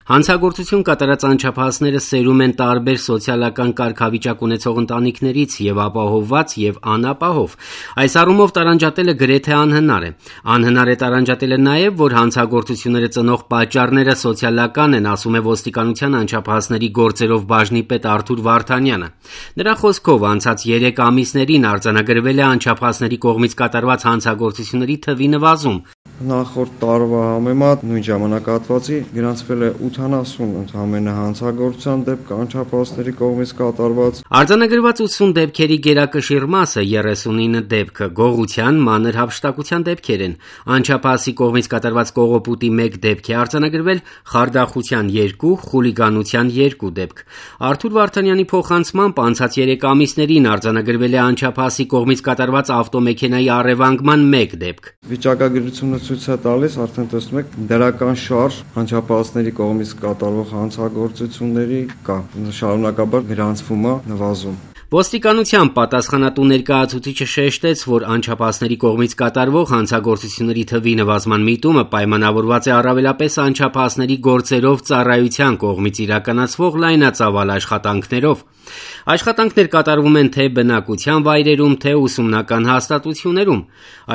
Հանցագործություն կատարած անչափահասները սերում են տարբեր սոցիալական կարգավիճակ ունեցող ընտանիքներից եւ ապահովված եւ անապահով։ Այս առումով տարանջատելը գրեթե անհնար է։ Անհնար է տարանջատելը նաեւ, որ հանցագործությունները ծնող պատճառները սոցիալական են, ասում է ոստիկանության անչափահասների գործերով բաժնի պետ Արթուր Վարդանյանը։ Նրա խոսքով անցած 3 ամիսներին արձանագրվել է անչափահասների կողմից կատարված հանցագործությունների թվի նվազում։ Նախորդ տարվա համեմատ նույն ժամանակահատվածի գրանցվել է 80 ընդամենը հանցագործության դեպք անչափահասների կողմից կատարված։ Արձանագրված 80 դեպքերի գերակշիռ մասը 39 դեպքը գողության, մանր հափշտակության դեպքեր են։ Անչափահասի կողմից կատարված կողոպուտի 1 դեպք է արձանագրվել, խարդախության 2, խուլիգանության 2 դեպք։ Արթուր Վարդանյանի փոխանցմամբ անցած 3 ամիսներին արձանագրվել է անչափահասի կողմից կատարված ավտոմեքենայի առևանգման 1 դեպք։ Վիճակագրությունը ցույց է տալիս, արդեն տեսնում եք, դրական շարժ անչափահասների կողմից կատարվող հանցագործությունների կա, շարունակաբար գրանցվում է նվազում։ Ոստիկանության պատասխանատու ներկայացուցիչը շեշտեց, որ անչափահասների կողմից կատարվող հանցագործությունների թվի նվազման միտումը պայմանավորված է առավելապես անչափահասների գործերով ծառայության կողմից իրականացվող լայնածավալ աշխատանքներով։ Աշխատանքներ կատարվում են թե բնակության վայրերում, թե ուսումնական հաստատություններում։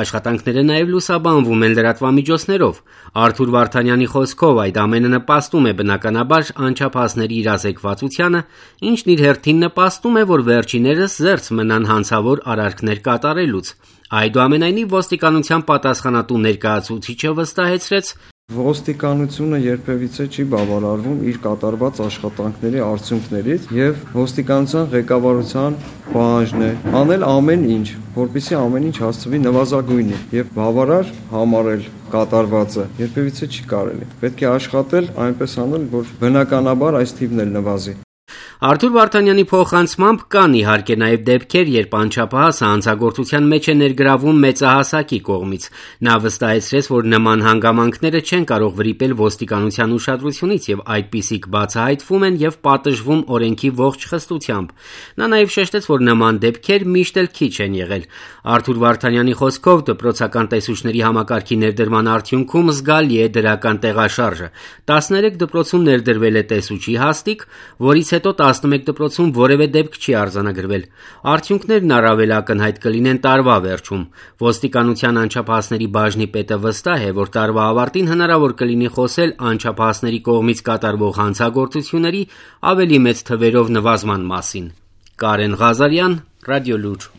Աշխատանքները նաև լուսաբանվում են լրատվամիջոցներով։ Արթուր Վարդանյանի խոսքով այդ ամենը նպաստում է բնականաբար անչափահասների իրազեկվածությանը, ինչն իր հերթին նպաստում է, որ վերջիներս զերծ մնան հանցավոր արարքներ կատարելուց։ Այդուամենայնիվ ոստիկանության պատասխանատու ներկայացուցիչը վստահեցրեց, ոստիկանությունը երբևիցե չի բավարարվում իր կատարված աշխատանքների արդյունքներից եւ ոստիկանության ղեկավարության պահանջն է անել ամեն ինչ, որպեսզի ամեն ինչ հասցվի նվազագույնի եւ բավարար համարել կատարվածը երբևիցե չի կարելի։ Պետք է աշխատել այնպես անել, որ բնականաբար այս թիվն էլ նվազի։ Արթուր Վարդանյանի փոխանցմամբ կան իհարկե նաև դեպքեր, երբ անչափահասը հանցագործության մեջ է ներգրավում մեծահասակի կողմից։ Նա վստահեցրեց, որ նման հանգամանքները չեն կարող վրիպել ոստիկանության ուշադրությունից եւ այդպիսիք բացահայտվում են եւ պատժվում օրենքի ողջ խստությամբ։ Նա նաև շեշտեց, որ նման դեպքեր միշտ էլ քիչ են եղել։ Արթուր Վարդանյանի խոսքով դպրոցական տեսուչների համակարգի ներդրման արդյունքում զգալի է դրական տեղաշարժը։ 13 դպրոցում ներդրվել է տեսուչի հաստիք, որից հետո 11 դպրոցում որևէ դեպք չի արձանագրվել։ Արդյունքներն առավել ակնհայտ կլինեն տարվա վերջում։ Ոստիկանության անչափահասների բաժնի պետը վստահ է, որ տարվա ավարտին հնարավոր կլինի խոսել անչափահասների կողմից կատարվող հանցագործությունների ավելի մեծ թվերով նվազման մասին։ Կարեն Ղազարյան, Ռադիոլուր։